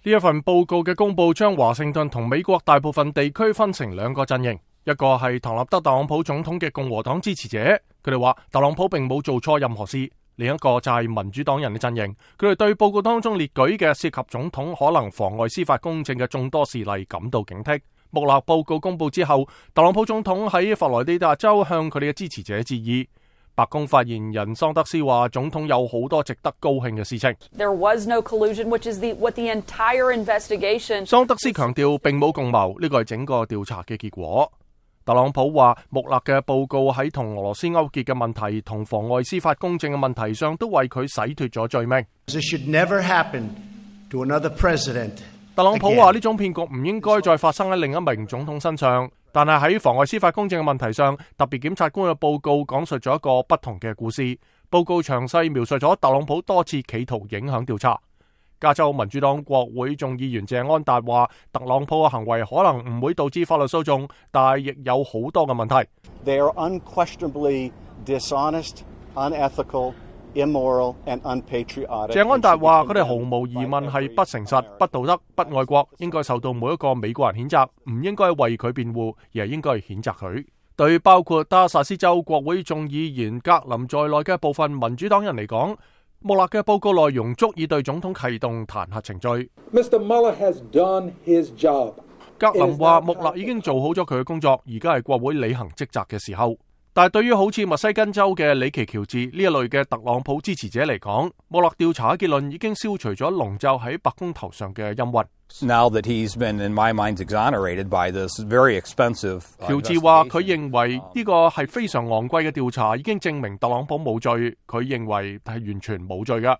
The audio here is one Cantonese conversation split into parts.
呢一份報告嘅公佈將華盛頓同美國大部分地區分成兩個陣營，一個係唐納德特朗普總統嘅共和黨支持者，佢哋話特朗普並冇做錯任何事；另一個就係民主黨人嘅陣營，佢哋對報告當中列舉嘅涉及總統可能妨礙司法公正嘅眾多事例感到警惕。穆勒報告公佈之後，特朗普總統喺佛羅里達州向佢哋嘅支持者致意。白宮發言人桑德斯話，總統有好多值得高興嘅事情。There was no collusion, which is what the entire investigation. 桑德斯強調並冇共謀，呢個係整個調查嘅結果。特朗普話，穆勒嘅報告喺同俄羅斯勾結嘅問題同妨礙司法公正嘅問題上都為佢洗脫咗罪名。This should never happen to another president. 特朗普話呢種騙局唔應該再發生喺另一名總統身上，但係喺妨礙司法公正嘅問題上，特別檢察官嘅報告講述咗一個不同嘅故事。報告詳細描述咗特朗普多次企圖影響調查。加州民主黨國會眾議員謝安達話，特朗普嘅行為可能唔會導致法律訴訟，但係亦有好多嘅問題。They are unquestionably dishonest, unethical, immoral and unpatriotic. 謝安達話，佢哋毫無疑問係不誠實、不道德、不愛國，應該受到每一個美國人譴責，唔應該為佢辯護，而係應該譴責佢。對包括德薩斯州國會眾議員格林在內嘅部分民主黨人嚟講，穆勒嘅報告內容足以對總統啟動彈劾程序。Mr. Mueller has done his job. 格林話，穆勒已經做好咗佢嘅工作，而家係國會履行職責嘅時候。但係對於好似密西根州嘅里奇喬治呢一類嘅特朗普支持者嚟講，穆勒調查嘅結論已經消除咗籠罩喺白宮頭上嘅陰雲。Now that he's been, in my mind, exonerated by this very expensive. 喬治話佢認為呢個係非常昂貴嘅調查，已經證明特朗普冇罪。佢認為係完全冇罪㗎。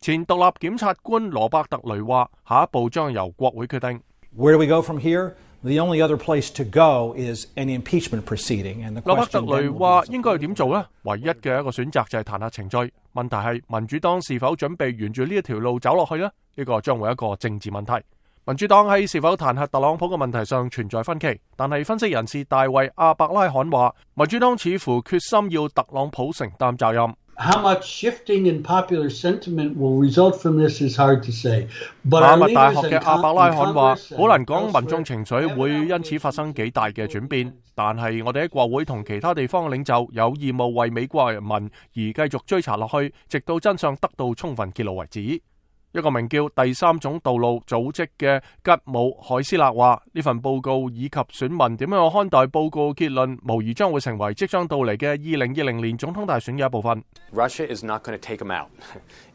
前獨立檢察官羅伯特雷話，下一步將由國會決定。Where do we go from here? The only other place to go is an impeachment proceeding. And the 羅伯特雷話應該要點做呢？唯一嘅一個選擇就係彈劾程序。問題係民主黨是否準備沿住呢一條路走落去呢？呢個將會一個政治問題。民主黨喺是否彈劾特朗普嘅問題上存在分歧，但係分析人士大衛阿伯拉罕話，民主黨似乎決心要特朗普承擔責任。How much shifting in popular sentiment will result from this is hard to say. 馬密大學嘅阿伯拉罕話，好難講民眾情緒會因此發生幾大嘅轉變，但係我哋喺國會同其他地方嘅領袖有義務為美國人民而繼續追查落去，直到真相得到充分揭露為止。一個名叫第三種道路組織嘅吉姆海斯勒話，呢份報告以及選民點樣看待報告結論，無疑將會成為即將到嚟嘅2020年總統大選嘅一部分。Russia is not going to take him out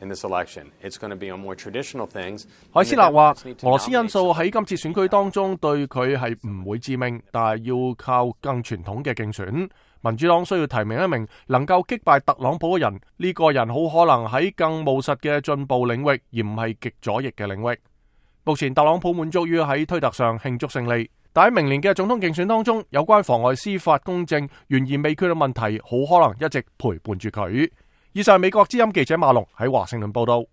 in this election. It's going to be on more traditional things. 海斯勒話，俄羅斯因素喺今次選舉當中對佢係唔會致命，但係要靠更傳統嘅競選。民主黨需要提名一名能夠擊敗特朗普嘅人，呢個人好可能喺更務實嘅進步領域，而唔係極左翼嘅領域。目前特朗普滿足於喺推特上慶祝勝利，但喺明年嘅總統競選當中，有關妨礙司法公正懸而未決嘅問題，好可能一直陪伴住佢。以上係美國之音記者馬龍喺華盛頓報道。